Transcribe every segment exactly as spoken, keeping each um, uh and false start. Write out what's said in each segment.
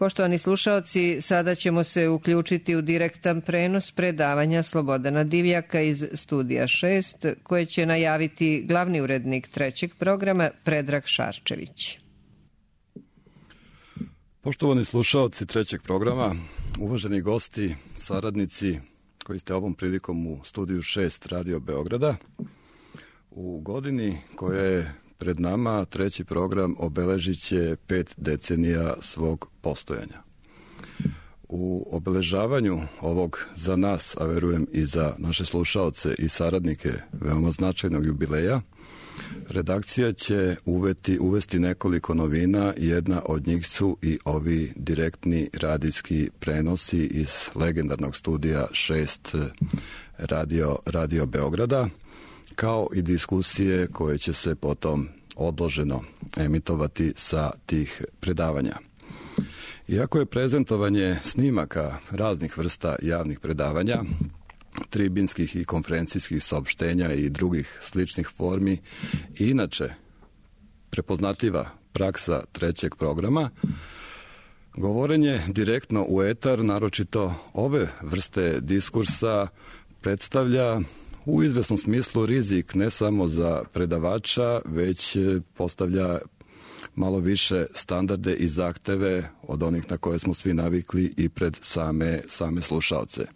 Poštovani slušaoci, sada ćemo se uključiti u direktan prenos predavanja Slobodana Divjaka iz Studija šest, koje će najaviti glavni urednik trećeg programa Predrag Šarčević. Poštovani slušaoci trećeg programa, uvaženi gosti, saradnici koji ste ovom prilikom u Studiju šest Radio Beograda, u godini koja je pred nama treći program obeležit će pet decenija svog postojanja. U obeležavanju ovog za nas, a verujem i za naše slušaoce i saradnike, veoma značajnog jubileja, redakcija će uveti, uvesti nekoliko novina. Jedna od njih su i ovi direktni radijski prenosi iz legendarnog Studija šest Radio, Radio Beograda, kao i diskusije koje će se potom odloženo emitovati sa tih predavanja. Iako je prezentovanje snimaka raznih vrsta javnih predavanja, tribinskih i konferencijskih saopštenja i drugih sličnih formi i inače prepoznatljiva praksa trećeg programa, govorenje direktno u etar, naročito ove vrste diskursa, predstavlja u izvesnom smislu rizik ne samo za predavača, već postavlja malo više standarde i zahteve od onih na koje smo svi navikli i pred same, same slušaoce. E,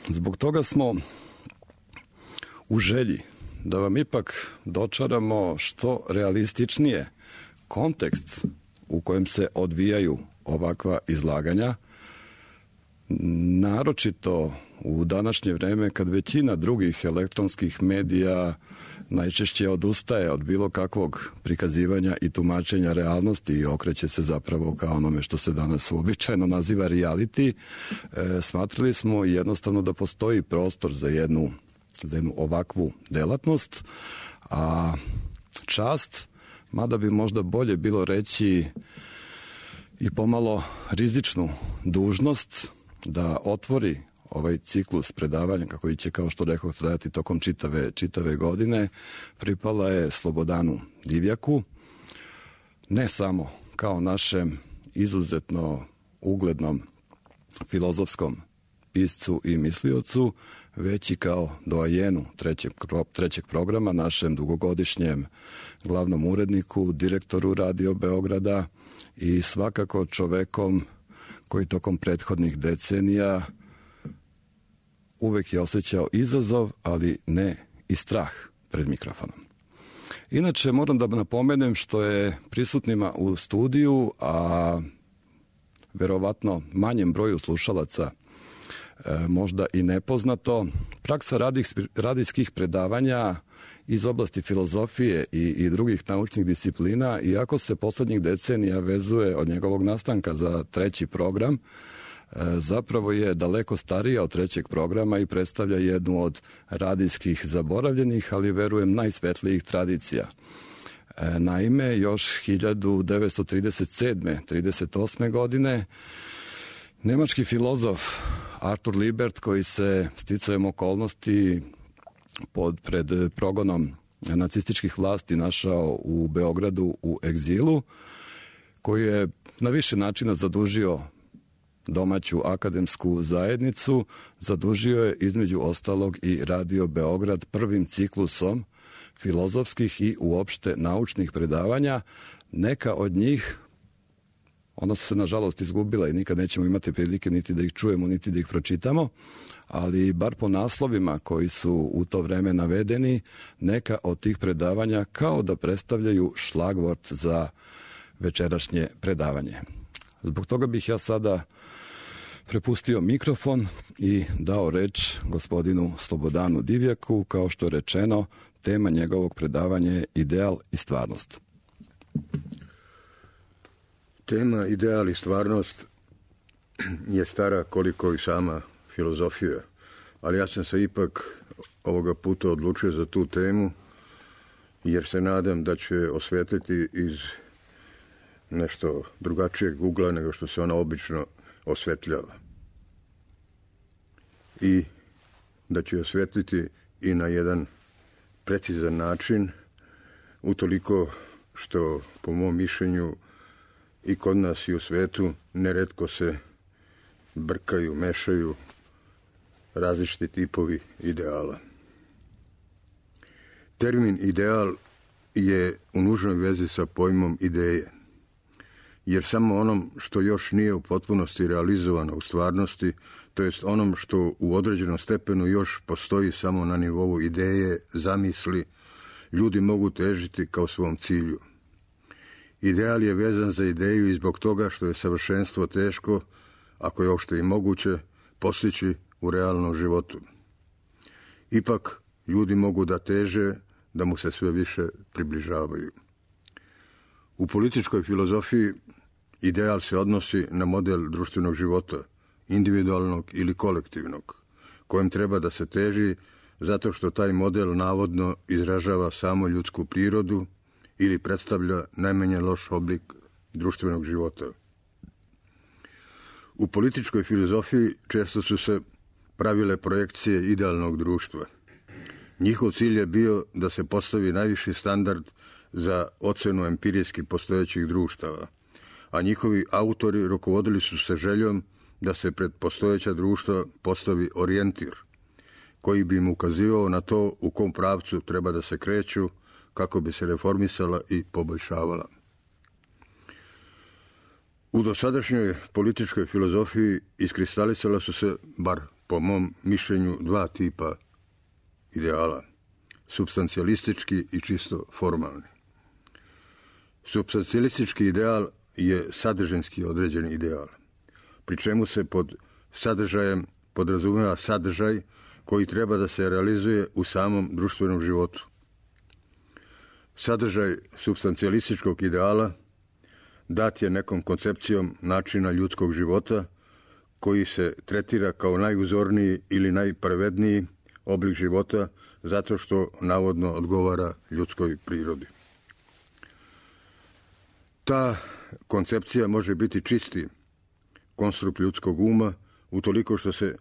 zbog toga smo u želji da vam ipak dočaramo što realističnije kontekst u kojem se odvijaju ovakva izlaganja, naročito u današnje vreme kad većina drugih elektronskih medija najčešće odustaje od bilo kakvog prikazivanja i tumačenja realnosti i okreće se zapravo kao onome što se danas uobičajeno naziva reality, e, smatrali smo jednostavno da postoji prostor za jednu, za jednu ovakvu delatnost, a čast, mada bi možda bolje bilo reći i pomalo rizičnu dužnost da otvori ovaj ciklus predavanja, kako će, kao što rekao, trajati tokom čitave, čitave godine, pripala je Slobodanu Divjaku, ne samo kao našem izuzetno uglednom filozofskom piscu i misliocu, već i kao doajenu trećeg, trećeg programa, našem dugogodišnjem glavnom uredniku, direktoru Radio Beograda i svakako čovekom koji tokom prethodnih decenija uvek je osjećao izazov, ali ne i strah pred mikrofonom. Inače, moram da napomenem što je prisutnima u studiju, a verovatno manjem broju slušalaca e, možda i nepoznato, praksa radijs, radijskih predavanja iz oblasti filozofije i, i drugih naučnih disciplina, iako se poslednjih decenija vezuje od njegovog nastanka za treći program, zapravo je daleko starija od trećeg programa i predstavlja jednu od radijskih zaboravljenih, ali verujem najsvetlijih tradicija. Naime, još hiljadu devetsto trideset sedme trideset osme. godine nemački filozof Artur Libert, koji se sticajem okolnosti pod pred progonom nacističkih vlasti našao u Beogradu u egzilu, koji je na više načina zadužio domaću akademsku zajednicu, zadužio je između ostalog i Radio Beograd prvim ciklusom filozofskih i uopšte naučnih predavanja. Neka od njih, ona su se nažalost izgubila i nikad nećemo imati prilike niti da ih čujemo, niti da ih pročitamo, ali bar po naslovima koji su u to vreme navedeni, neka od tih predavanja kao da predstavljaju šlagvort za večerašnje predavanje. Zbog toga bih ja sada prepustio mikrofon i dao reč gospodinu Slobodanu Divjaku. Kao što je rečeno, tema njegovog predavanja je ideal i stvarnost. Tema ideal i stvarnost je stara koliko i sama filozofija, ali ja sam se ipak ovoga puta odlučio za tu temu, jer se nadam da će osvetliti iz nešto drugačijeg ugla nego što se ona obično osvetljava. I da će osvetliti i na jedan precizan način, utoliko što, po mom mišljenju, i kod nas i u svetu neretko se brkaju, mešaju različiti tipovi ideala. Termin ideal je u nužnoj vezi sa pojmom ideje, jer samo onom što još nije u potpunosti realizovano u stvarnosti, to jest onom što u određenom stepenu još postoji samo na nivou ideje, zamisli, ljudi mogu težiti kao svom cilju. Ideal je vezan za ideju i zbog toga što je savršenstvo teško, ako je uopšte i moguće, postići u realnom životu. Ipak, ljudi mogu da teže, da mu se sve više približavaju. U političkoj filozofiji ideal se odnosi na model društvenog života, individualnog ili kolektivnog, kojem treba da se teži zato što taj model navodno izražava samo ljudsku prirodu ili predstavlja najmanje loš oblik društvenog života. U političkoj filozofiji često su se pravile projekcije idealnog društva. Njihov cilj je bio da se postavi najviši standard za ocenu empirijski postojećih društava, a njihovi autori rukovodili su se željom da se pred postojeća društva postavi orijentir, koji bi im ukazivao na to u kom pravcu treba da se kreću kako bi se reformisala i poboljšavala. U dosadašnjoj političkoj filozofiji iskristalisala su se, bar po mom mišljenju, dva tipa ideala, supstancijalistički i čisto formalni. Supstancijalistički ideal je sadržinski određeni ideal, pri čemu se pod sadržajem podrazumeva sadržaj koji treba da se realizuje u samom društvenom životu. Sadržaj supstancijalističkog ideala dat je nekom koncepcijom načina ljudskog života koji se tretira kao najuzorniji ili najpravedniji oblik života zato što navodno odgovara ljudskoj prirodi. Ta koncepcija može biti čisti konstrukt ljudskog uma utoliko što se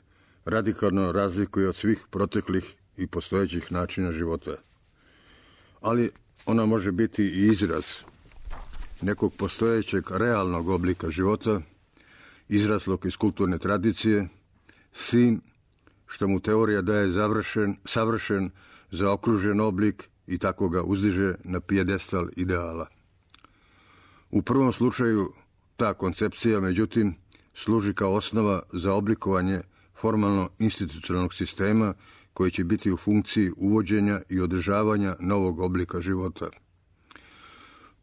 radikalno razlikuje od svih proteklih i postojećih načina života. Ali ona može biti i izraz nekog postojećeg realnog oblika života, izraslog iz kulturne tradicije, s tim što mu teorija daje završen, savršen, zaokružen oblik i tako ga uzdiže na pijedestal ideala. U prvom slučaju ta koncepcija, međutim, služi kao osnova za oblikovanje formalno institucionalnog sistema koji će biti u funkciji uvođenja i održavanja novog oblika života.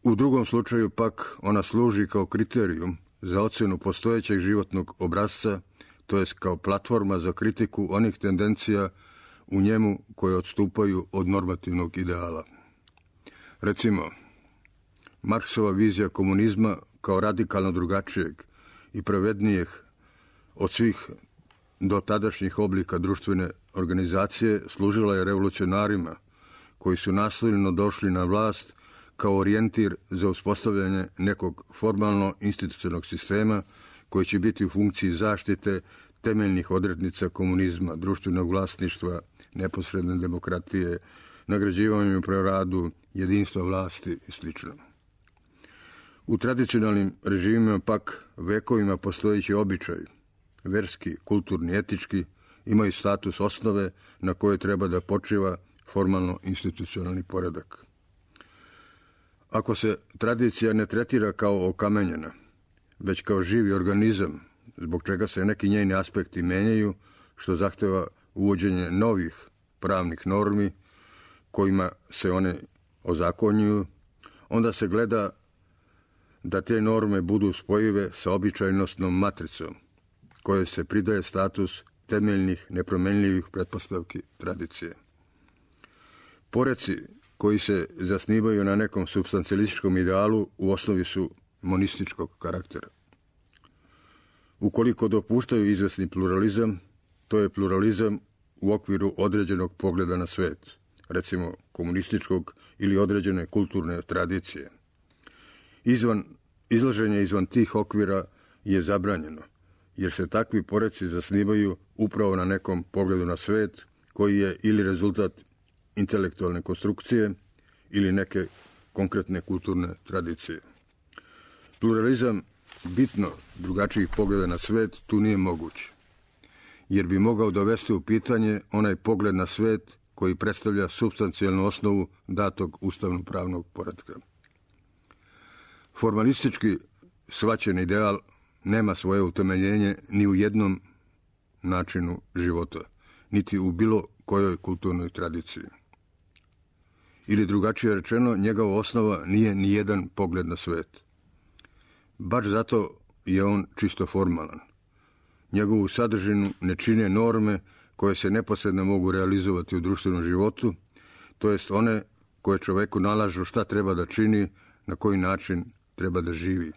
U drugom slučaju pak ona služi kao kriterijum za ocjenu postojećeg životnog obrasca, to jest kao platforma za kritiku onih tendencija u njemu koje odstupaju od normativnog ideala. Recimo, Marksova vizija komunizma kao radikalno drugačijeg i pravednijeg od svih do tadašnjih oblika društvene organizacije služila je revolucionarima koji su nasilno došli na vlast kao orijentir za uspostavljanje nekog formalno institucionalnog sistema koji će biti u funkciji zaštite temeljnih odrednica komunizma, društvenog vlasništva, neposredne demokratije, nagrađivanju pro radu, jedinstva vlasti i sl. U tradicionalnim režimima pak vekovima postojeći običaj, verski, kulturni, etički, imaju status osnove na koje treba da počiva formalno institucionalni poredak. Ako se tradicija ne tretira kao okamenjena, već kao živi organizam, zbog čega se neki njeni aspekti menjaju, što zahteva uvođenje novih pravnih normi kojima se one ozakonjuju, onda se gleda da te norme budu spojive sa običajnostnom matricom, koje se pridaje status temeljnih nepromenljivih pretpostavki tradicije. Poreci koji se zasnivaju na nekom supstancijalističkom idealu u osnovi su monističkog karaktera. Ukoliko dopuštaju izvesni pluralizam, to je pluralizam u okviru određenog pogleda na svet, recimo komunističkog ili određene kulturne tradicije. Izvan, izlaženje izvan tih okvira je zabranjeno, jer se takvi poreci zasnivaju upravo na nekom pogledu na svet koji je ili rezultat intelektualne konstrukcije ili neke konkretne kulturne tradicije. Pluralizam bitno drugačijih pogleda na svet tu nije moguć, jer bi mogao dovesti u pitanje onaj pogled na svet koji predstavlja supstancijalnu osnovu datog ustavno-pravnog poretka. Formalistički shvaćen ideal nema svoje utemeljenje ni u jednom načinu života, niti u bilo kojoj kulturnoj tradiciji. Ili drugačije rečeno, njegova osnova nije ni jedan pogled na svet. Baš zato je on čisto formalan. Njegovu sadržinu ne čine norme koje se neposredno mogu realizovati u društvenom životu, to jest one koje čoveku nalažu šta treba da čini, na koji način treba da živi.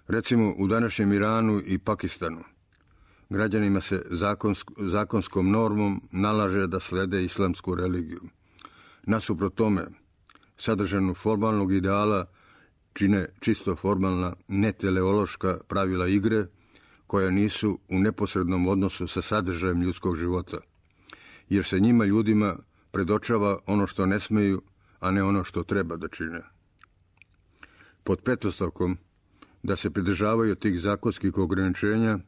Recimo, u današnjem Iranu i Pakistanu građanima se zakonsk, zakonskom normom nalaže da slede islamsku religiju. Nasuprot tome, sadržanu formalnog ideala čine čisto formalna, neteleološka pravila igre, koja nisu u neposrednom odnosu sa sadržajem ljudskog života, jer se njima ljudima predočava ono što ne smeju, a ne ono što treba da čine. Pod pretpostavkom da se pridržavaju tih zakonskih ograničenja,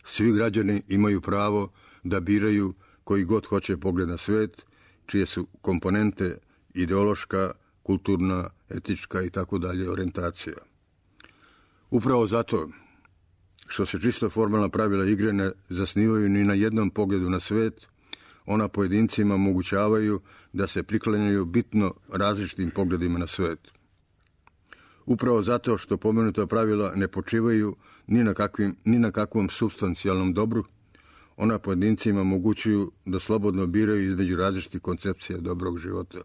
svi građani imaju pravo da biraju koji god hoće pogled na svet, čije su komponente ideološka, kulturna, etička i tako dalje orijentacija. Upravo zato što se čisto formalna pravila igre ne zasnivaju ni na jednom pogledu na svet, ona pojedincima omogućavaju da se priklanjaju bitno različitim pogledima na svet. Upravo zato što pomenuta pravila ne počivaju ni na, kakvim, ni na kakvom supstancijalnom dobru, ona pojedincima omogućuju da slobodno biraju između različitih koncepcija dobrog života.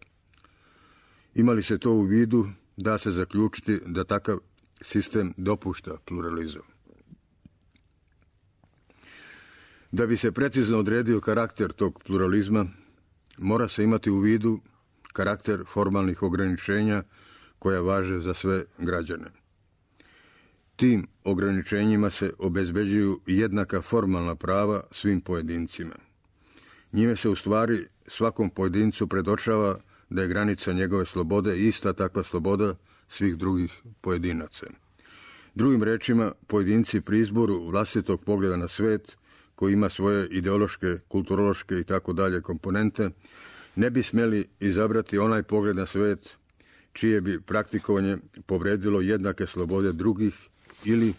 Imali se to u vidu, da se zaključiti da takav sistem dopušta pluralizam. Da bi se precizno odredio karakter tog pluralizma, mora se imati u vidu karakter formalnih ograničenja koja važe za sve građane. Tim ograničenjima se obezbeđuju jednaka formalna prava svim pojedincima. Njime se u stvari svakom pojedincu predočava da je granica njegove slobode ista takva sloboda svih drugih pojedinaca. Drugim rečima, pojedinci pri izboru vlastitog pogleda na svet, koji ima svoje ideološke, kulturološke i tako dalje komponente, ne bi smjeli izabrati onaj pogled na svet čije bi praktikovanje povredilo jednake slobode drugih ili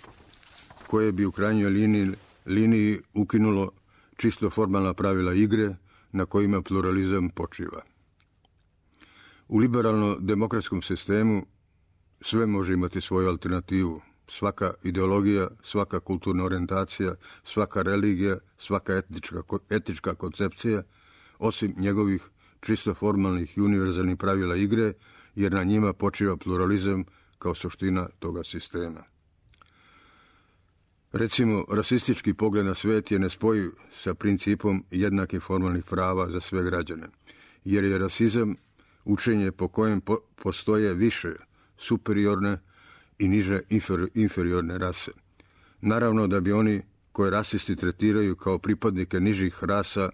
koje bi u krajnjoj liniji, liniji ukinulo čisto formalna pravila igre na kojima pluralizam počiva. U liberalno-demokratskom sistemu sve može imati svoju alternativu. Svaka ideologija, svaka kulturna orijentacija, svaka religija, svaka etička, etička koncepcija, osim njegovih čisto formalnih i univerzalnih pravila igre, jer na njima počiva pluralizam kao suština toga sistema. Recimo, rasistički pogled na svet je nespojiv sa principom jednakih formalnih prava za sve građane, jer je rasizam učenje po kojem po, postoje više superiorne i niže infer, inferiorne rase. Naravno da bi oni koje rasisti tretiraju kao pripadnike nižih rasa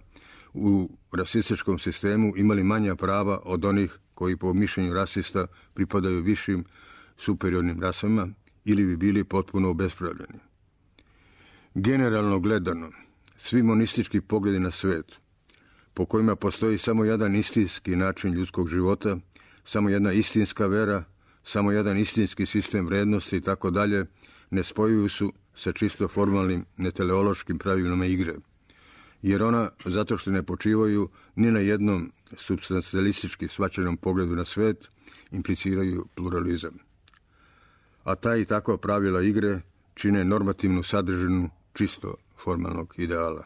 u rasističkom sistemu imali manja prava od onih koji po mišljenju rasista pripadaju višim superiornim rasama ili bi bili potpuno obespravljeni. Generalno gledano, svi monistički pogledi na svet, po kojima postoji samo jedan istinski način ljudskog života, samo jedna istinska vera, samo jedan istinski sistem vrednosti i tako dalje, ne spojuju su sa čisto formalnim neteleološkim pravilima igre, jer ona, zato što ne počivaju ni na jednom substancialistički shvaćenom pogledu na svet, impliciraju pluralizam. A ta i takva pravila igre čine normativnu sadržinu čisto formalnog ideala.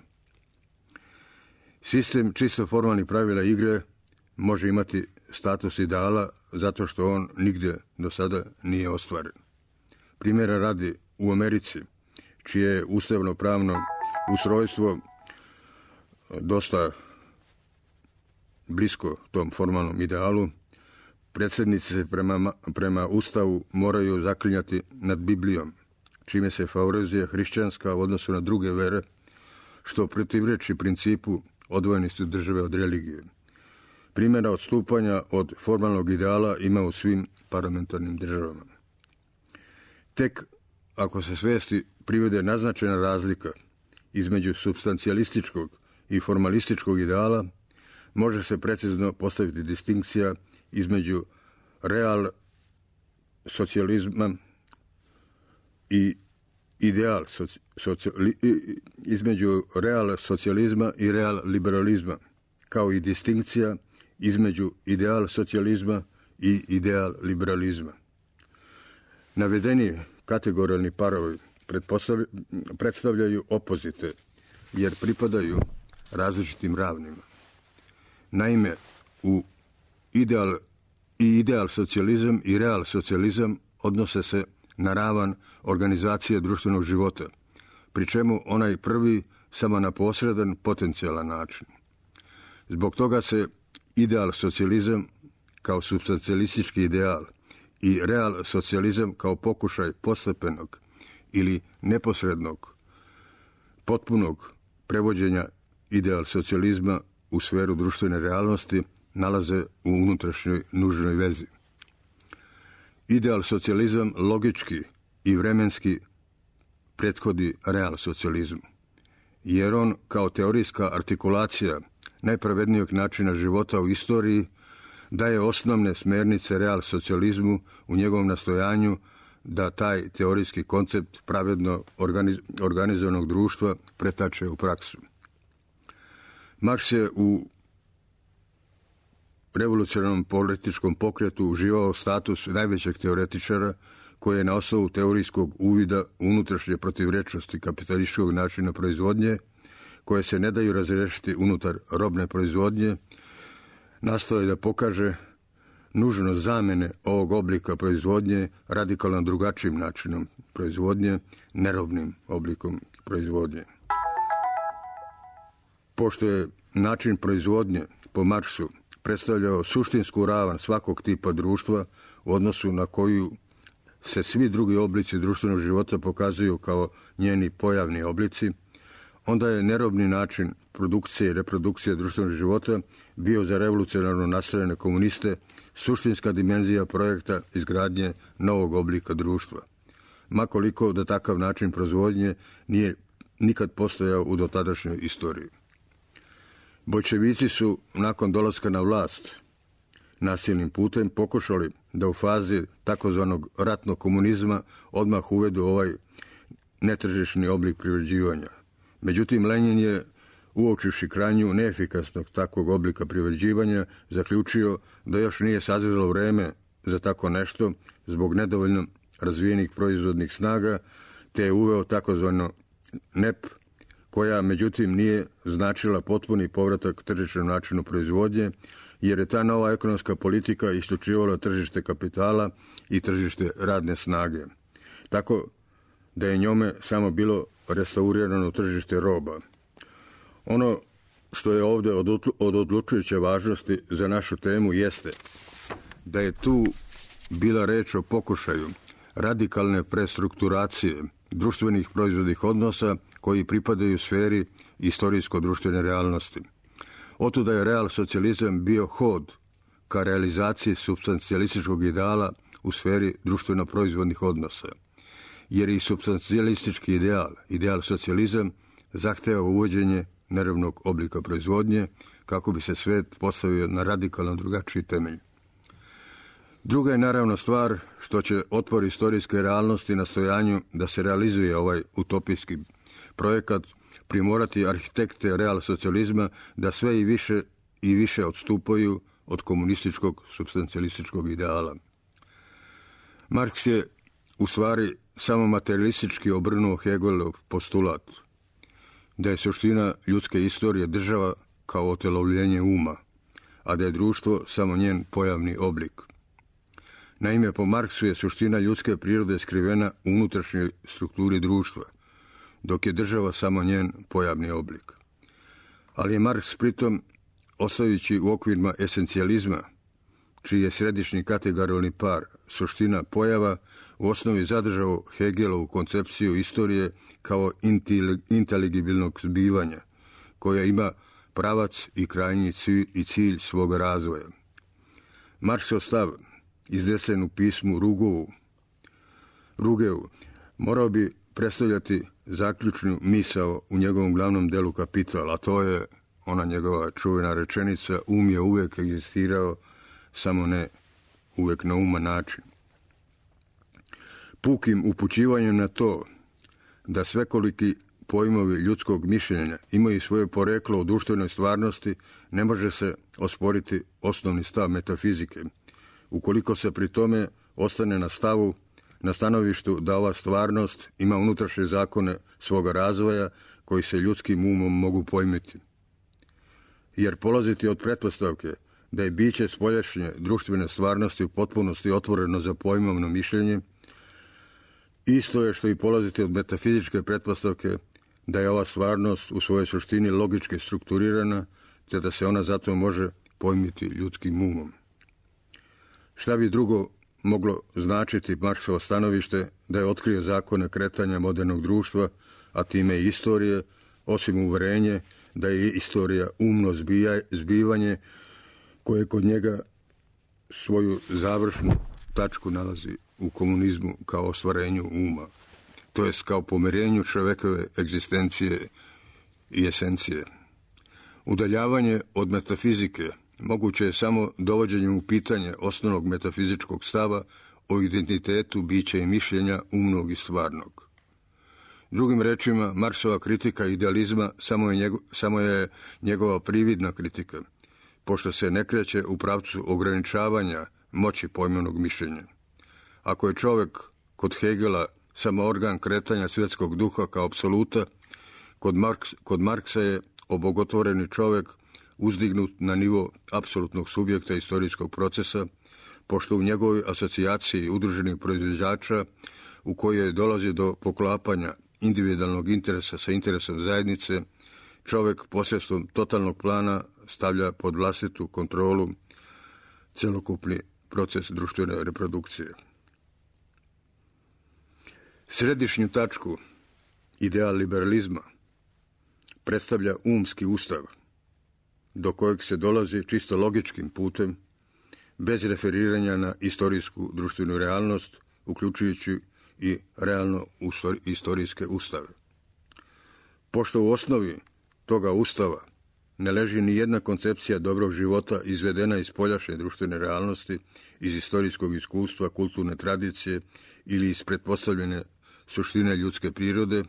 Sistem čisto formalnih pravila igre može imati status ideala zato što on nigdje do sada nije ostvaren. Primjera radi, u Americi, čije je ustavno-pravno ustrojstvo dosta blisko tom formalnom idealu, predsjednici se prema, prema Ustavu moraju zaklinjati nad Biblijom, čime se favorizuje hrišćanska u odnosu na druge vere, što protivreči principu odvojenosti države od religije. Primjera odstupanja od formalnog ideala ima u svim parlamentarnim državama. Tek ako se svesti privede naznačena razlika između supstancijalističkog i formalističkog ideala, može se precizno postaviti distinkcija između real socijalizma i ideal soci, socijali, između real socijalizma i real liberalizma, kao i distinkcija između ideal socijalizma i ideal liberalizma. Navedeni kategorijalni parovi predstavljaju opozite, jer pripadaju različitim ravnima. Naime, u ideal i ideal socijalizam i real socijalizam odnose se na ravan organizacije društvenog života, pri čemu onaj prvi samo na posredan potencijalan način. Zbog toga se ideal socijalizam kao supstancijalistički ideal i real socijalizam kao pokušaj postepenog ili neposrednog, potpunog prevođenja ideal socijalizma u sferu društvene realnosti nalaze u unutrašnjoj nužnoj vezi. Ideal socijalizam logički i vremenski prethodi real socijalizmu, jer on kao teorijska artikulacija najpravednijeg načina života u istoriji daje osnovne smernice real socijalizmu u njegovom nastojanju da taj teorijski koncept pravedno organiz, organizovanog društva pretače u praksu. Marks je u revolucionarnom političkom pokretu uživao status najvećeg teoretičara koji je na osnovu teorijskog uvida u unutrašnje protivrečnosti kapitalističkog načina proizvodnje, koje se ne daju razrešiti unutar robne proizvodnje, nastoji da pokaže nužnost zamene ovog oblika proizvodnje radikalno drugačijim načinom proizvodnje, nerobnim oblikom proizvodnje. Pošto je način proizvodnje po Marksu predstavljao suštinsku ravan svakog tipa društva u odnosu na koju se svi drugi oblici društvenog života pokazuju kao njeni pojavni oblici, onda je nerobni način produkcije i reprodukcije društvenog života bio za revolucionarno nastrojene komuniste suštinska dimenzija projekta izgradnje novog oblika društva, makoliko da takav način proizvodnje nije nikad postojao u dotadašnjoj istoriji. Boljševici su nakon dolaska na vlast nasilnim putem pokušali da u fazi takozvanog ratnog komunizma odmah uvedu ovaj netržišni oblik privređivanja. Međutim, Lenin je, uočivši krajnju neefikasnog takvog oblika privređivanja, zaključio da još nije sazrelo vreme za tako nešto zbog nedovoljno razvijenih proizvodnih snaga, te je uveo takozvano N E P, koja međutim nije značila potpuni povratak tržišnom načinu proizvodnje, jer je ta nova ekonomska politika isključivala tržište kapitala i tržište radne snage. Tako da je njome samo bilo restaurirano tržište roba. Ono što je ovdje od odlučujuće važnosti za našu temu jeste da je tu bila reč o pokušaju radikalne prestrukturacije društvenih proizvodnih odnosa koji pripadaju sferi istorijsko-društvene realnosti. Otuda je real socijalizam bio hod ka realizaciji supstancijalističkog ideala u sferi društveno-proizvodnih odnosa, jer i supstancijalistički ideal, ideal socijalizam, zahteva uvođenje nerovnog oblika proizvodnje kako bi se svet postavio na radikalno drugačiji temelj. Druga je naravno stvar što će otpor istorijske realnosti na stojanju da se realizuje ovaj utopijski projekat primorati arhitekte real socijalizma da sve i više i više odstupaju od komunističkog supstancijalističkog ideala. Marks je u stvari samo materialistički obrnuo Hegelov postulat da je suština ljudske istorije država kao otelovljenje uma, a da je društvo samo njen pojavni oblik. Naime, po Marksu je suština ljudske prirode skrivena u unutrašnjoj strukturi društva, dok je država samo njen pojavni oblik. Ali je Marks pritom, ostajući u okvirima esencijalizma, čiji je središnji kategorijalni par suština pojava, u osnovi zadržao Hegelovu koncepciju istorije kao inteligibilnog zbivanja, koja ima pravac i krajnji cilj i cilj svog razvoja. Marksov stav, iznesen u pismu Rugovu, Rugeu morao bi predstavljati zaključnu misao u njegovom glavnom delu Kapital, a to je ona njegova čuvena rečenica: um je uvek egzistirao, samo ne uvek na uman način. Pukim upućivanjem na to da svekoliki pojmovi ljudskog mišljenja imaju svoje poreklo u društvenoj stvarnosti, ne može se osporiti osnovni stav metafizike, ukoliko se pri tome ostane na stavu, na stanovištu da ova stvarnost ima unutrašnje zakone svoga razvoja koji se ljudskim umom mogu pojmiti. Jer polaziti od pretpostavke da je biće spoljašnje društvene stvarnosti u potpunosti otvoreno za pojmovno mišljenje, isto je što i polaziti od metafizičke pretpostavke da je ova stvarnost u svojoj suštini logički strukturirana, te da se ona zato može pojmiti ljudskim umom. Šta bi drugo moglo značiti Marksovo stanovište da je otkrio zakone kretanja modernog društva, a time i istorije, osim uverenje da je istorija umno zbija, zbivanje koje kod njega svoju završnu tačku nalazi u komunizmu kao ostvarenju uma, to jest kao pomirenju čovekove egzistencije i esencije. Udaljavanje od metafizike moguće je samo dovođenjem u pitanje osnovnog metafizičkog stava o identitetu bića i mišljenja umnog i stvarnog. Drugim rečima, Marksova kritika idealizma samo je, njego, samo je njegova prividna kritika, pošto se ne kreće u pravcu ograničavanja moći pojmovnog mišljenja. Ako je čovjek kod Hegela samo organ kretanja svjetskog duha kao apsoluta, kod, Marks, kod Marksa je obogotvoreni čovjek uzdignut na nivo apsolutnog subjekta istorijskog procesa, pošto u njegovoj asocijaciji udruženih proizvođača, u kojoj dolazi do poklapanja individualnog interesa sa interesom zajednice, čovjek posredstvom totalnog plana stavlja pod vlastitu kontrolu celokupni proces društvene reprodukcije. Središnju tačku ideal liberalizma predstavlja umski ustav, do kojeg se dolazi čisto logičkim putem, bez referiranja na istorijsku društvenu realnost, uključujući i realno istorijske ustave. Pošto u osnovi toga ustava ne leži ni jedna koncepcija dobrog života izvedena iz spoljašnje društvene realnosti, iz istorijskog iskustva, kulturne tradicije ili iz pretpostavljene suštine ljudske prirode,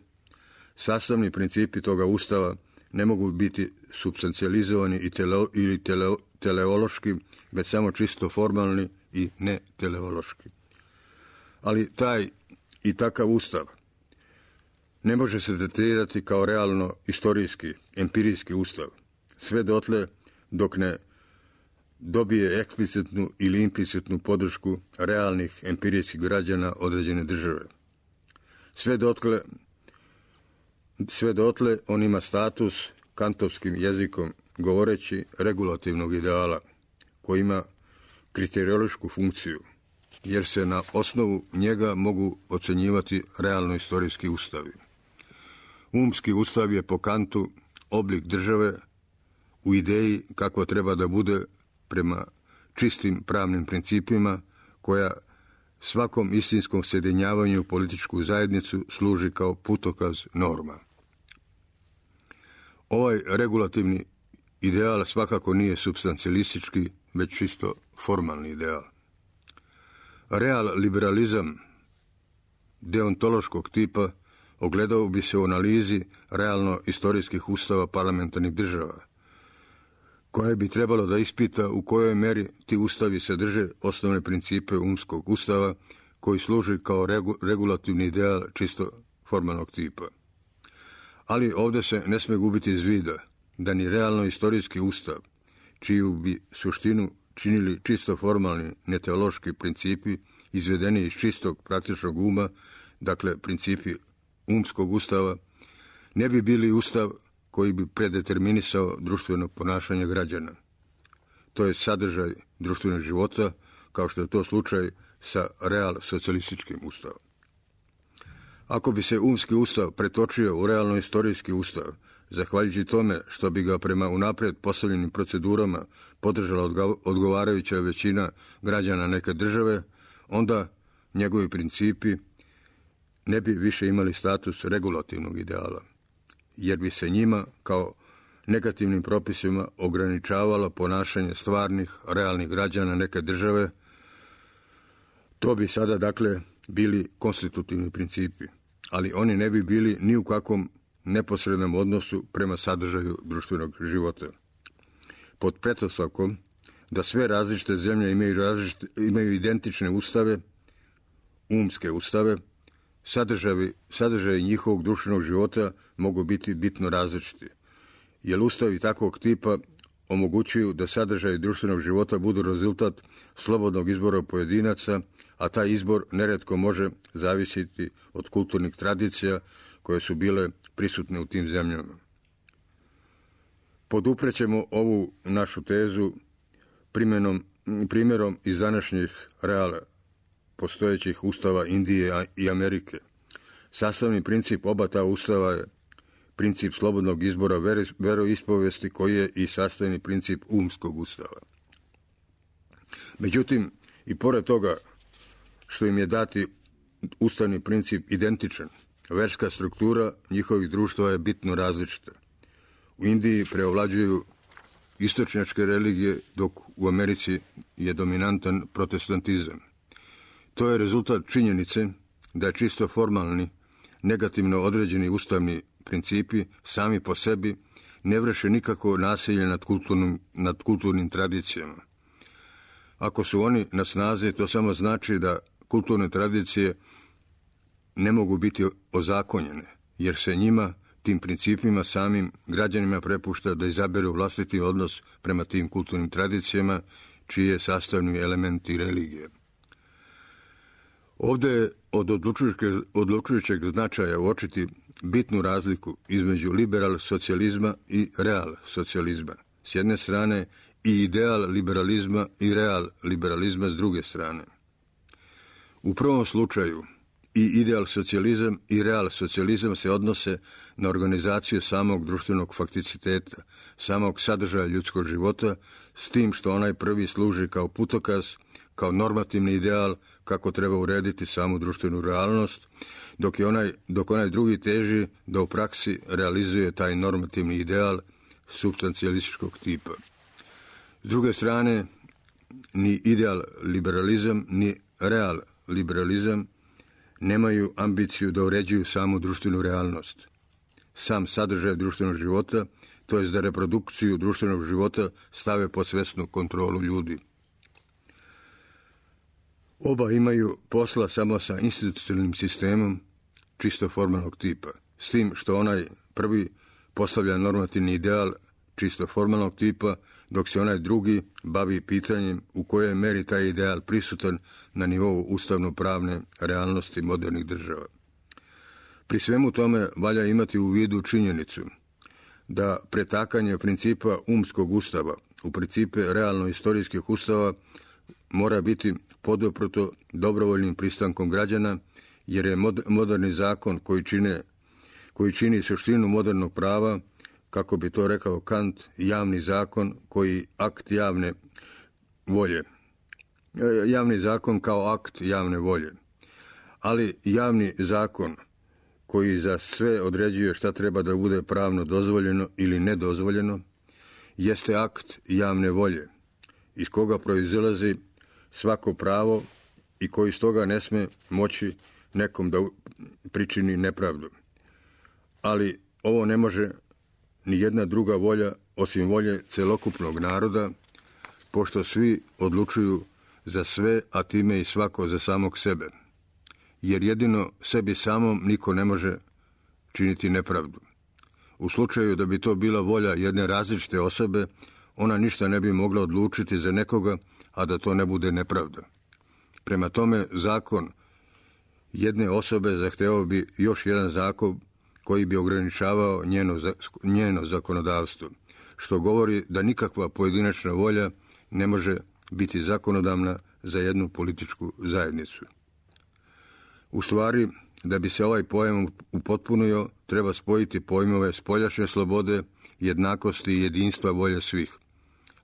sastavni principi toga ustava ne mogu biti substancijalizovani i tele, ili tele, teleološki, već samo čisto formalni i ne teleološki. Ali taj i takav ustav ne može se tretirati kao realno istorijski, empirijski ustav, sve dotle dok ne dobije eksplicitnu ili implicitnu podršku realnih empirijskih građana određene države. Sve dotle, sve dotle on ima status, kantovskim jezikom govoreći, regulativnog ideala, koji ima kriteriološku funkciju, jer se na osnovu njega mogu ocenjivati realno istorijski ustavi. Umski ustav je po Kantu oblik države u ideji kakva treba da bude prema čistim pravnim principima, koja svakom istinskom sjedinjavanju u političku zajednicu služi kao putokaz norma. Ovaj regulativni ideal svakako nije supstancijalistički, već čisto formalni ideal. Real liberalizam deontološkog tipa ogledao bi se u analizi realno istorijskih ustava parlamentarnih država, koje bi trebalo da ispita u kojoj meri ti ustavi sadrže osnovne principe umskog ustava, koji služi kao regu, regulativni ideal čisto formalnog tipa. Ali ovdje se ne sme gubiti iz vida da ni realno istorijski ustav, čiju bi suštinu činili čisto formalni neteološki principi izvedeni iz čistog praktičnog uma, dakle principi umskog ustava, ne bi bili ustav koji bi predeterminisao društveno ponašanje građana. To je sadržaj društvenog života, kao što je to slučaj sa real socijalističkim ustavom. Ako bi se umski ustav pretočio u realno istorijski ustav, zahvaljujući tome što bi ga prema unaprijed postavljenim procedurama podržala odgovarajuća većina građana neke države, onda njegovi principi ne bi više imali status regulativnog ideala, jer bi se njima kao negativnim propisima ograničavalo ponašanje stvarnih, realnih građana neke države. To bi sada, dakle, bili konstitutivni principi, ali oni ne bi bili ni u kakvom neposrednom odnosu prema sadržaju društvenog života. Pod pretpostavkom da sve različite zemlje imaju, različite, imaju identične ustave, umske ustave, sadržaji, sadržaji njihovog društvenog života mogu biti bitno različiti, jer ustavi takvog tipa omogućuju da sadržaji društvenog života budu rezultat slobodnog izbora pojedinaca, a taj izbor neretko može zavisiti od kulturnih tradicija koje su bile prisutne u tim zemljama. Poduprećemo ovu našu tezu primjenom, primjerom iz današnjih reala postojećih ustava Indije i Amerike. Sastavni princip oba ta ustava je princip slobodnog izbora veroispovesti koji je i sastavni princip umskog ustava. Međutim, i pored toga što im je dati ustavni princip identičan, verska struktura njihovih društva je bitno različita. U Indiji preovlađuju istočnjačke religije, dok u Americi je dominantan protestantizam. To je rezultat činjenice da je čisto formalni, negativno određeni ustavni principi sami po sebi ne vrše nikako nasilje nad kulturnim, nad kulturnim tradicijama. Ako su oni na snazi, to samo znači da kulturne tradicije ne mogu biti ozakonjene, jer se njima, tim principima, samim građanima prepušta da izaberu vlastiti odnos prema tim kulturnim tradicijama, čiji je sastavni element i religije. Ovdje je od odlučujućeg značaja uočiti bitnu razliku između liberal socijalizma i real socijalizma s jedne strane i ideal liberalizma i real liberalizma s druge strane. U prvom slučaju i ideal socijalizam i real socijalizam se odnose na organizaciju samog društvenog fakticiteta, samog sadržaja ljudskog života, s tim što onaj prvi služi kao putokaz, kao normativni ideal kako treba urediti samu društvenu realnost, dok, je onaj, dok onaj drugi teži da u praksi realizuje taj normativni ideal supstancijalističkog tipa. S druge strane, ni ideal liberalizam, ni real liberalizam nemaju ambiciju da uređuju samu društvenu realnost, sam sadržaj društvenog života, to jest da reprodukciju društvenog života stave pod svesnu kontrolu ljudi. Oba imaju posla samo sa institucionalnim sistemom čisto formalnog tipa, s tim što onaj prvi postavlja normativni ideal čisto formalnog tipa, dok se onaj drugi bavi pitanjem u kojoj meri taj ideal prisutan na nivou ustavno-pravne realnosti modernih država. Pri svemu tome valja imati u vidu činjenicu da pretakanje principa umskog ustava u principe realno-istorijskih ustava mora biti poduprto dobrovoljnim pristankom građana, jer je moderni zakon koji, čine, koji čini suštinu modernog prava, kako bi to rekao Kant, javni zakon koji akt javne volje. Javni zakon kao akt javne volje. Ali javni zakon koji za sve određuje šta treba da bude pravno dozvoljeno ili nedozvoljeno, jeste akt javne volje, iz koga proizilazi svako pravo i koji stoga ne sme moći nekom da pričini nepravdu. Ali ovo ne može ni jedna druga volja osim volje celokupnog naroda, pošto svi odlučuju za sve, a time i svako za samog sebe. Jer jedino sebi samom niko ne može činiti nepravdu. U slučaju da bi to bila volja jedne različite osobe, ona ništa ne bi mogla odlučiti za nekoga, a da to ne bude nepravda. Prema tome, zakon jedne osobe zahtevao bi još jedan zakon koji bi ograničavao njeno, njeno zakonodavstvo, što govori da nikakva pojedinačna volja ne može biti zakonodavna za jednu političku zajednicu. U stvari, da bi se ovaj pojam upotpunio, treba spojiti pojmove spoljašnje slobode, jednakosti i jedinstva volje svih.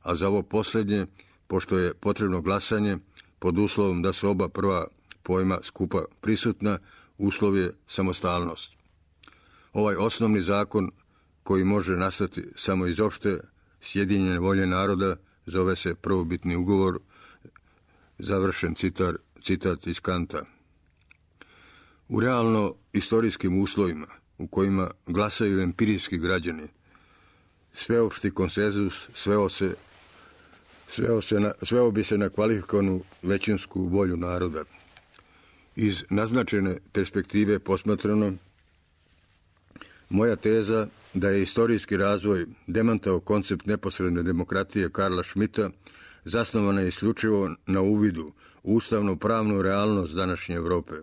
A za ovo posljednje, pošto je potrebno glasanje, pod uslovom da su oba prva pojma skupa prisutna, uslov je samostalnost. Ovaj osnovni zakon koji može nastati samo iz opšte sjedinjene volje naroda zove se prvobitni ugovor, završen citat, citat iz Kanta. U realno istorijskim uslovima u kojima glasaju empirijski građani, sveopšti konsenzus sveo se Sveo, se na, sveo bi se na kvalifikovanu većinsku volju naroda. Iz naznačene perspektive posmatrano, moja teza da je istorijski razvoj demantao koncept neposredne demokratije Karla Schmitta zasnovana je isključivo na uvidu u ustavno-pravnu realnost današnje Evrope,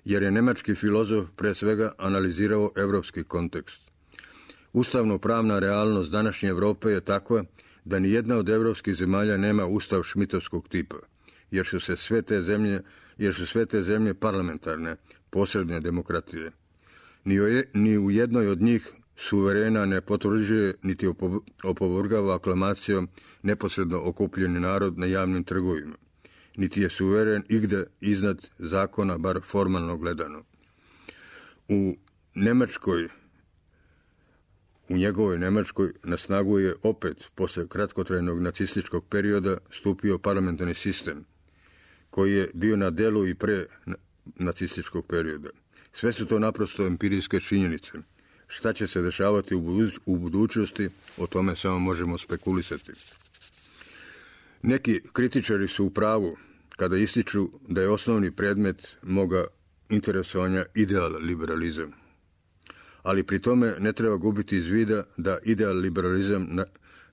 jer je nemački filozof pre svega analizirao evropski kontekst. Ustavno-pravna realnost današnje Evrope je takva da ni jedna od evropskih zemalja nema ustav šmitovskog tipa, jer su se sve te zemlje, jer su sve te zemlje parlamentarne, posredne demokratije. Ni u, ni u jednoj od njih suverena ne potvrđuje niti opovrgava aklamacijom neposredno okupljeni narod na javnim trgovima, niti je suveren igde iznad zakona, bar formalno gledano. U Nemačkoj U njegovoj Nemačkoj na snagu je opet, posle kratkotrajnog nacističkog perioda, stupio parlamentarni sistem, koji je bio na delu i pre nacističkog perioda. Sve su to naprosto empirijske činjenice. Šta će se dešavati u, buduć, u budućnosti, o tome samo možemo spekulisati. Neki kritičari su u pravu kada ističu da je osnovni predmet moga interesovanja ideal liberalizam. Ali pri tome ne treba gubiti iz vida da ideal liberalizam na,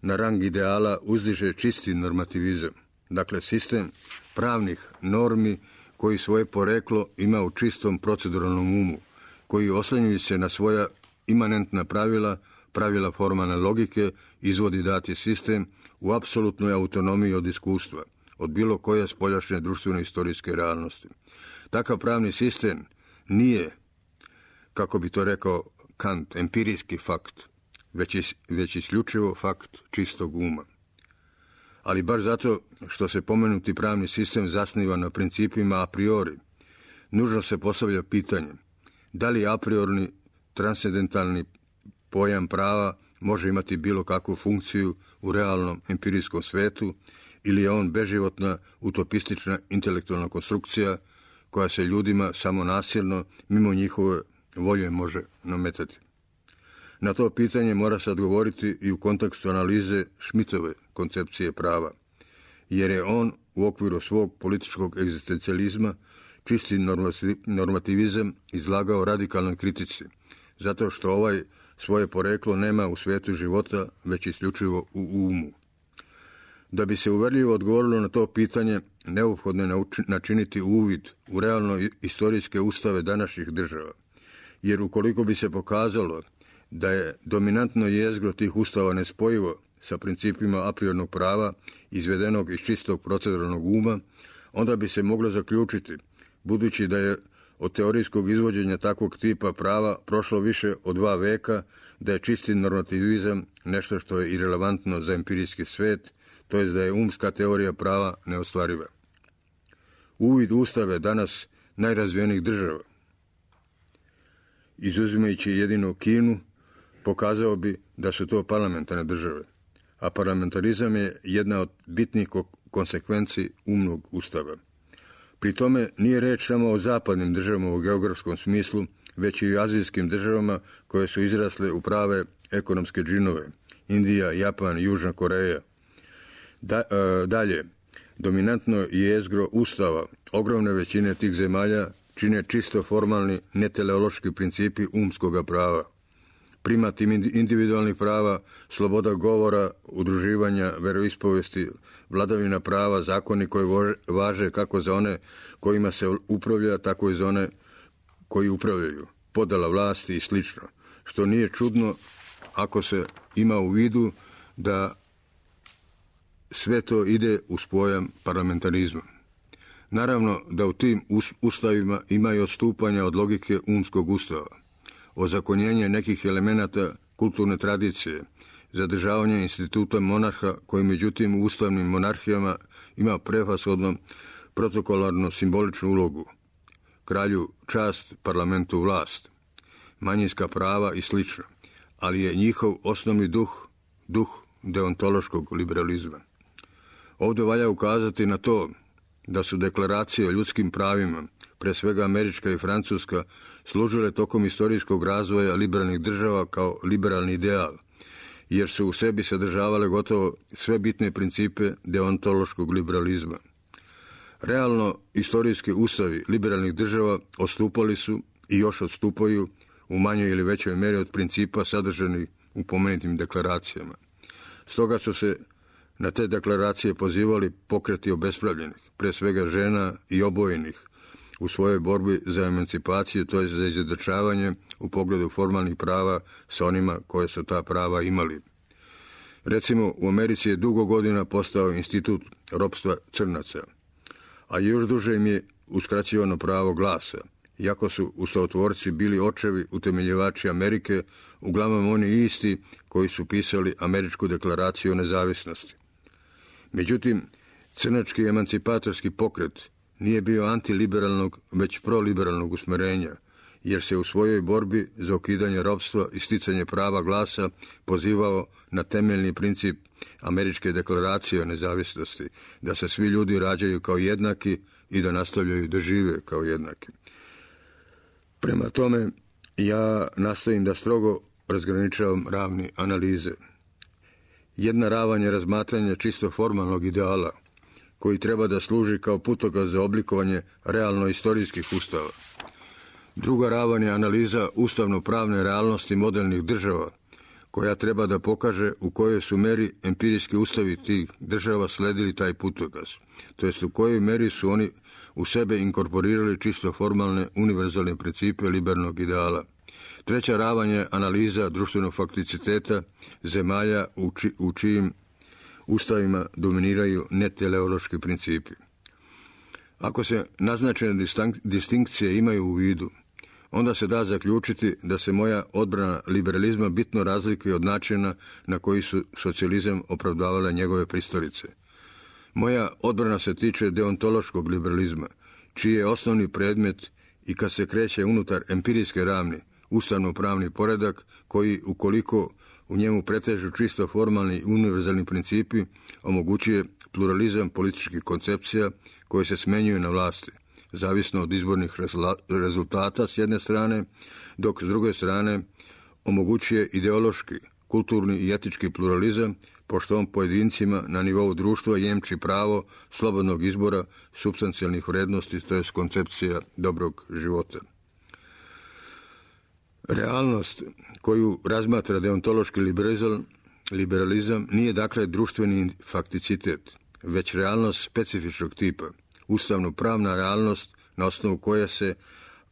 na rang ideala uzdiže čisti normativizam. Dakle, sistem pravnih normi koji svoje poreklo ima u čistom proceduralnom umu, koji oslanjuju se na svoja imanentna pravila, pravila formalne logike, izvodi dati sistem u apsolutnoj autonomiji od iskustva, od bilo koje spoljašnje društveno-istorijske realnosti. Takav pravni sistem nije, kako bi to rekao Kant, empirijski fakt, već, is, već isključivo fakt čistog uma. Ali baš zato što se pomenuti pravni sistem zasniva na principima a priori, nužno se postavlja pitanje da li a priorni transcendentalni pojam prava može imati bilo kakvu funkciju u realnom empirijskom svetu ili je on beživotna, utopistična intelektualna konstrukcija koja se ljudima samo nasilno, mimo njihove volje može nametati. Na to pitanje mora se odgovoriti i u kontekstu analize Schmittove koncepcije prava, jer je on u okviru svog političkog egzistencijalizma čisti normativizam izlagao radikalnoj kritici, zato što ovaj svoje poreklo nema u svetu života, već isključivo u umu. Da bi se uverljivo odgovorilo na to pitanje, neophodno je načiniti uvid u realno istorijske ustave današnjih država, jer ukoliko bi se pokazalo da je dominantno jezgro tih ustava nespojivo sa principima apriornog prava izvedenog iz čistog proceduralnog uma, onda bi se moglo zaključiti, budući da je od teorijskog izvođenja takvog tipa prava prošlo više od dva veka, da je čisti normativizam nešto što je irelevantno za empirijski svet, to je da je umska teorija prava neostvariva. Uvid ustave danas najrazvijenijih država, izuzimajući jedino Kinu, pokazao bi da su to parlamentarne države, a parlamentarizam je jedna od bitnih konsekvenci umnog ustava. Pri tome nije reč samo o zapadnim državama u geografskom smislu, već i o azijskim državama koje su izrasle u prave ekonomske džinove, Indija, Japan, Južna Koreja. Da, e, dalje, dominantno jezgro ustava ogromne većine tih zemalja čine čisto formalni neteleološki principi umskoga prava. Primat individualnih prava, sloboda govora, udruživanja, veroispovesti, vladavina prava, zakoni koji važe kako za one kojima se upravlja, tako i za one koji upravljaju, podela vlasti i slično, što nije čudno ako se ima u vidu da sve to ide uz pojam parlamentarizma. Naravno da u tim ustavima ima i odstupanja od logike umskog ustava, ozakonjenje nekih elemenata kulturne tradicije, zadržavanje instituta monarha koji međutim u ustavnim monarhijama ima prevashodno protokolarno simboličnu ulogu. kralju čast, parlamentu vlast, manjinska prava i slično, ali je njihov osnovni duh, duh deontološkog liberalizma. Ovdje valja ukazati na to da su deklaracije o ljudskim pravima, pre svega Američka i Francuska, služile tokom istorijskog razvoja liberalnih država kao liberalni ideal, jer su u sebi sadržavale gotovo sve bitne principe deontološkog liberalizma. Realno, istorijski ustavi liberalnih država odstupali su i još odstupaju u manjoj ili većoj meri od principa sadržanih u pomenutim deklaracijama. Stoga su se na te deklaracije pozivali pokreti obespravljenih, pre svega žena i obojenih, u svojoj borbi za emancipaciju, to je za izjednačavanje u pogledu formalnih prava sa onima koje su ta prava imali. Recimo, u Americi je dugo godina postao institut ropstva crnaca, a još duže im je uskraćivano pravo glasa, iako su ustavotvorci bili očevi utemeljivači Amerike, uglavnom oni isti koji su pisali Američku deklaraciju o nezavisnosti. Međutim, crnački emancipatorski pokret nije bio antiliberalnog, već proliberalnog usmerenja, jer se u svojoj borbi za ukidanje ropstva i sticanje prava glasa pozivao na temeljni princip Američke deklaracije o nezavisnosti, da se svi ljudi rađaju kao jednaki i da nastavljaju da žive kao jednaki. Prema tome, ja nastojim da strogo razgraničavam ravni analize. Jedna ravan je razmatranje čisto formalnog ideala, koji treba da služi kao putokaz za oblikovanje realno-istorijskih ustava. Druga ravan je analiza ustavno-pravne realnosti modelnih država, koja treba da pokaže u kojoj su meri empirijski ustavi tih država sledili taj putokaz, to jest u kojoj meri su oni u sebe inkorporirali čisto formalne univerzalne principe liberalnog ideala. Treća ravan je analiza društvenog fakticiteta zemalja u, či, u čijim ustavima dominiraju neteleološki principi. Ako se naznačene distinkcije imaju u vidu, onda se da zaključiti da se moja odbrana liberalizma bitno razlikuje od načina na koji su socijalizam opravdavale njegove pristalice. Moja odbrana se tiče deontološkog liberalizma, čiji je osnovni predmet i kad se kreće unutar empirijske ravni, ustavno-pravni poredak koji, ukoliko u njemu pretežu čisto formalni i univerzalni principi, omogućuje pluralizam političkih koncepcija koje se smenjuju na vlasti, zavisno od izbornih rezultata s jedne strane, dok s druge strane omogućuje ideološki, kulturni i etički pluralizam, pošto on pojedincima na nivou društva jemči pravo slobodnog izbora supstancijalnih vrednosti, to je koncepcija dobrog života. Realnost koju razmatra deontološki liberalizam, liberalizam nije dakle društveni fakticitet, već realnost specifičnog tipa, ustavno-pravna realnost na osnovu koje se,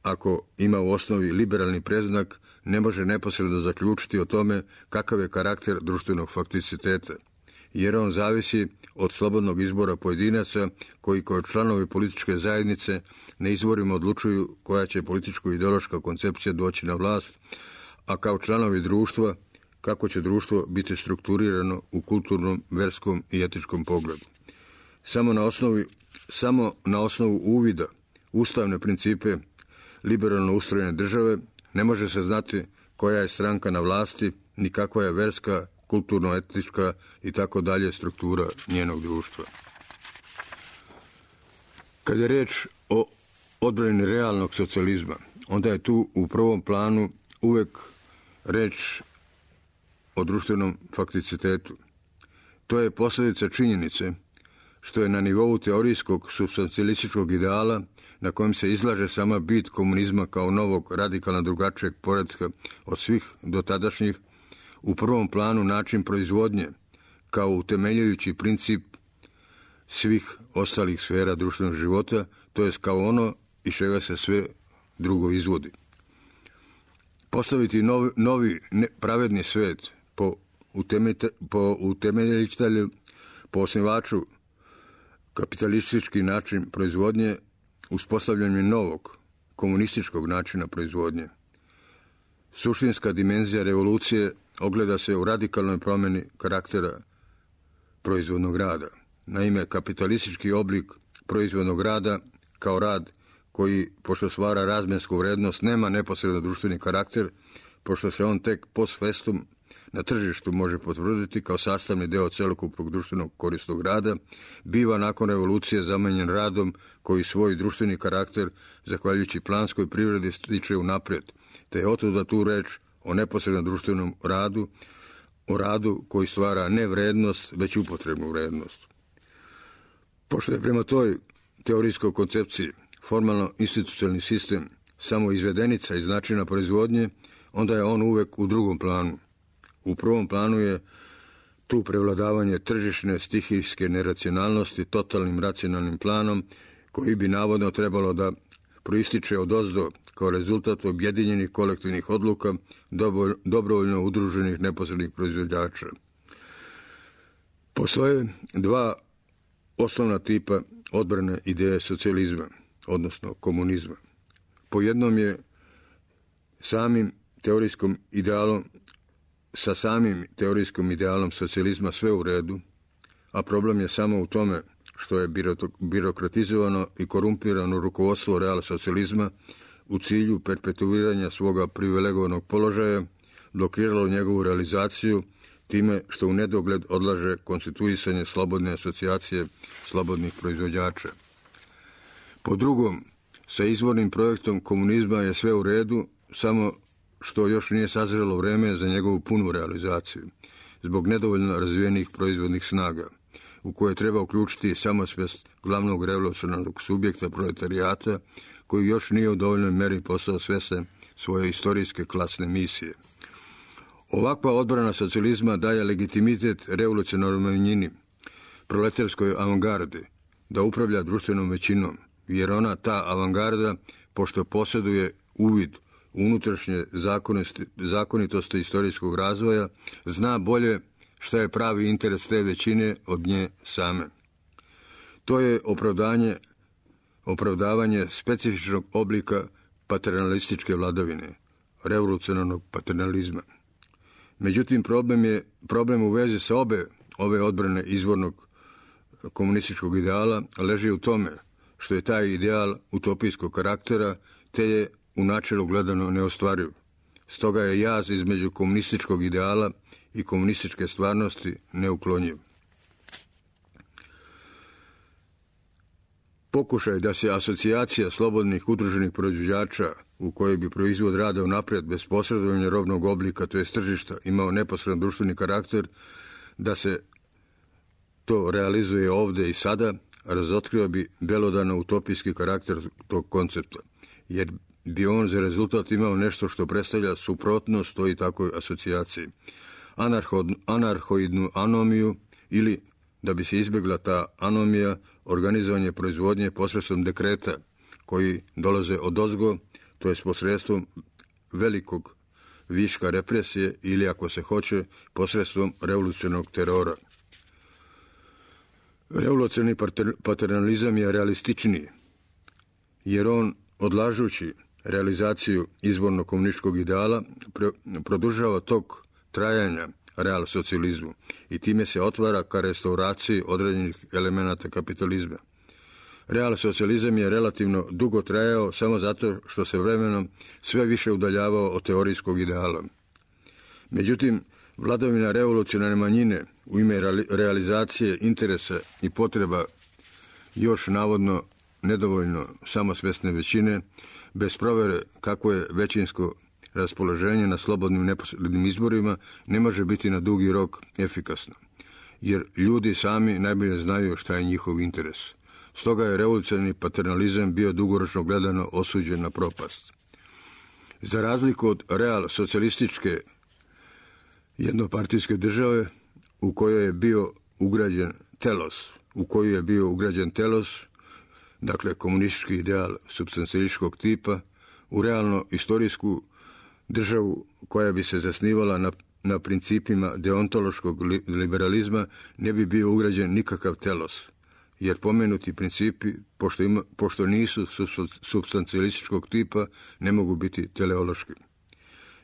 ako ima u osnovi liberalni predznak, ne može neposredno zaključiti o tome kakav je karakter društvenog fakticiteta, jer on zavisi od slobodnog izbora pojedinaca koji kao članovi političke zajednice na izborima odlučuju koja će političko ideološka koncepcija doći na vlast, a kao članovi društva kako će društvo biti strukturirano u kulturnom, verskom i etičkom pogledu. Samo na osnovi, samo na osnovu uvida ustavne principe liberalno ustrojene države ne može se znati koja je stranka na vlasti, ni kakva je verska, kulturno-etička i tako dalje struktura njenog društva. Kad je reč o odbrani realnog socijalizma, onda je tu u prvom planu uvek reč o društvenom fakticitetu. To je posljedica činjenice što je na nivou teorijskog supstancialističkog ideala na kojem se izlaže sama bit komunizma kao novog radikalno drugačijeg poretka od svih dotadašnjih, u prvom planu način proizvodnje kao utemeljujući princip svih ostalih sfera društvenog života, to jest kao ono iz čega se sve drugo izvodi. Postaviti novi, novi ne, pravedni svet po, utemete, po utemeljitelju, po osnivaču kapitalistički način proizvodnje, uspostavljanje novog komunističkog načina proizvodnje. Suštinska dimenzija revolucije ogleda se u radikalnoj promjeni karaktera proizvodnog rada. Naime, kapitalistički oblik proizvodnog rada kao rad koji, pošto stvara razmjensku vrednost, nema neposredno društveni karakter, pošto se on tek post festum na tržištu može potvrditi kao sastavni deo celokupnog društvenog korisnog rada, biva nakon revolucije zamenjen radom koji svoj društveni karakter, zahvaljujući planskoj privredi, stiče unaprijed, te je otuda tu reč o neposrednom društvenom radu, o radu koji stvara ne vrednost, već upotrebnu vrednost. Pošto je prema toj teorijskoj koncepciji formalno institucionalni sistem samo izvedenica iz načina proizvodnje, onda je on uvek u drugom planu. U prvom planu je tu prevladavanje tržišne stihijske neracionalnosti totalnim racionalnim planom koji bi navodno trebalo da proističe od ozdo kao rezultat objedinjenih kolektivnih odluka dobrovoljno udruženih neposrednih proizvođača. Postoje dva osnovna tipa odbrane ideje socijalizma, odnosno komunizma. Po jednom je samim teorijskom idealom, sa samim teorijskom idealom socijalizma sve u redu, a problem je samo u tome što je birokratizovano i korumpirano rukovodstvo real socijalizma u cilju perpetuiranja svoga privilegovanog položaja blokiralo njegovu realizaciju time što u nedogled odlaže konstituisanje slobodne asocijacije slobodnih proizvođača. Po drugom, sa izvornim projektom komunizma je sve u redu, samo što još nije sazrelo vreme za njegovu punu realizaciju, zbog nedovoljno razvijenih proizvodnih snaga, u koje treba uključiti samosvest glavnog revolucionarnog subjekta proletarijata, koji još nije u dovoljnoj meri postao svjestan svoje istorijske klasne misije. Ovakva odbrana socijalizma daje legitimitet revolucionarnoj manjini, proletarskoj avangardi, da upravlja društvenom većinom, jer ona, ta avangarda, pošto posjeduje uvid u unutrašnje zakonitosti istorijskog razvoja, zna bolje šta je pravi interes te većine od nje same. To je opravdanje, opravdavanje specifičnog oblika paternalističke vladavine, revolucionarnog paternalizma. Međutim, problem je problem u vezi sa obe ove odbrane izvornog komunističkog ideala leži u tome što je taj ideal utopijskog karaktera, te je u načelu gledano neostvariv. Stoga je jaz između komunističkog ideala i komunističke stvarnosti neuklonjiv. Pokušaj da se asocijacija slobodnih udruženih proizvođača, u kojoj bi proizvod rada unaprijed bez posredovanja robnog oblika, to je tržišta, imao neposredan društveni karakter, da se to realizuje ovde i sada, razotkrio bi belodano utopijski karakter tog koncepta, jer bi on za rezultat imao nešto što predstavlja suprotnost toj takvoj asocijaciji, anarhoidnu anomiju, ili, da bi se izbjegla ta anomija, organizovanje proizvodnje posredstvom dekreta koji dolaze od ozgo, to je posredstvom velikog viška represije ili, ako se hoće, posredstvom revolucionarnog terora. Revolucionarni paternalizam je realističniji, jer on, odlažući realizaciju izvornog komunističkog ideala, produžava tok trajanja real socijalizmu i time se otvara ka restauraciji određenih elemenata kapitalizma. Real socijalizam je relativno dugo trajao samo zato što se vremenom sve više udaljavao od teorijskog ideala. Međutim, vladavina revolucionarne manjine u ime realizacije interesa i potreba još navodno nedovoljno samosvesne većine, bez provere kako je većinsko raspoloženje na slobodnim neposrednim izborima, ne može biti na dugi rok efikasno, jer ljudi sami najbolje znaju šta je njihov interes. Stoga je revolucionarni paternalizam bio dugoročno gledano osuđen na propast. Za razliku od real socijalističke jednopartijske države u kojoj je bio ugrađen telos, u koju je bio ugrađen telos, dakle komunistički ideal supstancialističkog tipa, u realno istorijsku državu koja bi se zasnivala na, na principima deontološkog li, liberalizma ne bi bio ugrađen nikakav telos, jer pomenuti principi, pošto, ima, pošto nisu supstancialističkog tipa, ne mogu biti teleološki.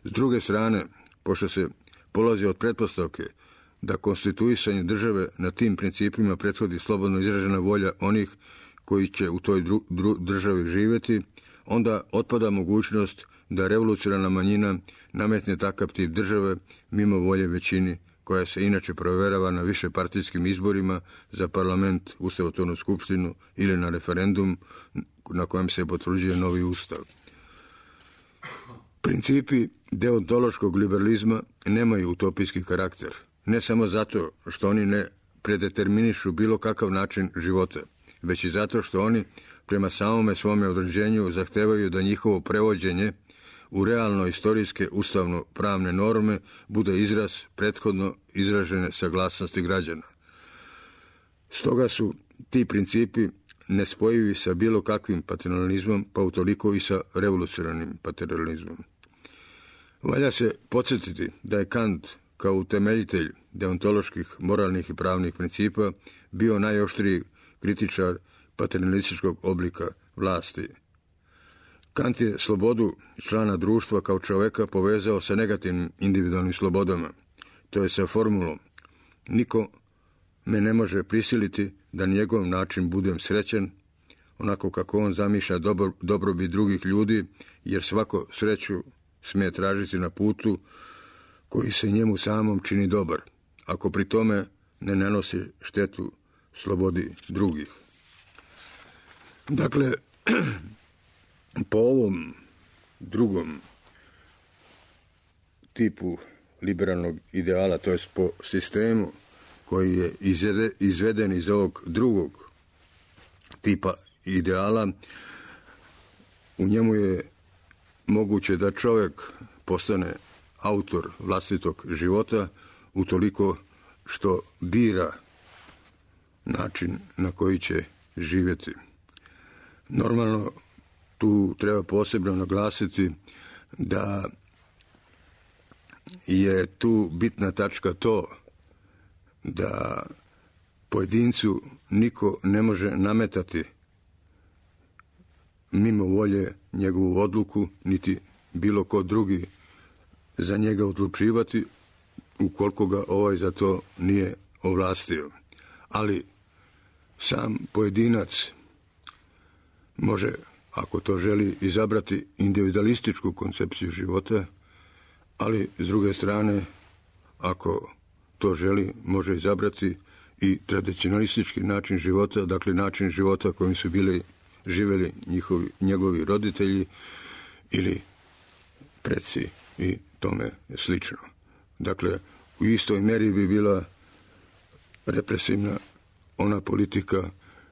S druge strane, pošto se polazi od pretpostavke da konstituisanje države na tim principima prethodi slobodno izražena volja onih koji će u toj dru, dru, državi živjeti, onda otpada mogućnost da revolucionarna manjina nametne takav tip države mimo volje većini, koja se inače provjerava na višepartijskim izborima za parlament, ustavotvornu skupštinu ili na referendum na kojem se potvrđuje novi ustav. Principi deontološkog liberalizma nemaju utopijski karakter, ne samo zato što oni ne predeterminišu bilo kakav način života, već i zato što oni prema samome svome određenju zahtevaju da njihovo prevođenje u realno istorijske ustavno-pravne norme bude izraz prethodno izražene saglasnosti građana. Stoga su ti principi nespojivi sa bilo kakvim paternalizmom, pa utoliko i sa revolucionarnim paternalizmom. Valja se podsjetiti da je Kant kao utemeljitelj deontoloških, moralnih i pravnih principa bio najoštriji kritičar paternalističkog oblika vlasti. Kant je slobodu člana društva kao čoveka povezao sa negativnim individualnim slobodama, to je sa formulom: niko me ne može prisiliti da na njegov način budem srećan, onako kako on zamišlja dobro, dobrobit drugih ljudi, jer svako sreću smije tražiti na putu koji se njemu samom čini dobar, ako pri tome ne nanosi štetu slobodi drugih. Dakle, po ovom drugom tipu liberalnog ideala, to je po sistemu koji je izveden iz ovog drugog tipa ideala, u njemu je moguće da čovjek postane autor vlastitog života utoliko što bira način na koji će živjeti. Normalno, tu treba posebno naglasiti da je tu bitna tačka to da pojedincu niko ne može nametati mimo volje njegovu odluku, niti bilo ko drugi za njega odlučivati, ukoliko ga ovaj za to nije ovlastio. Ali sam pojedinac može, ako to želi, izabrati individualističku koncepciju života, ali s druge strane, ako to želi, može izabrati i tradicionalistički način života, dakle način života kojim su bili živjeli njihovi, njegovi roditelji ili preci i tome slično. Dakle, u istoj meri bi bila represivna ona politika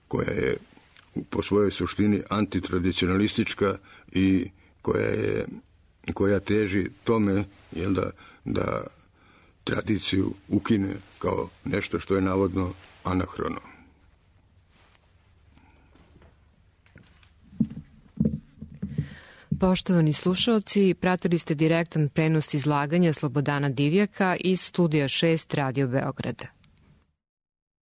koja je po svojoj suštini antitradicionalistička i koja je koja teži tome, jel da, da tradiciju ukine kao nešto što je navodno anahrono. Poštovani slušalci, pratili ste direktan prenos izlaganja Slobodana Divjaka iz studija šest Radio Beograda.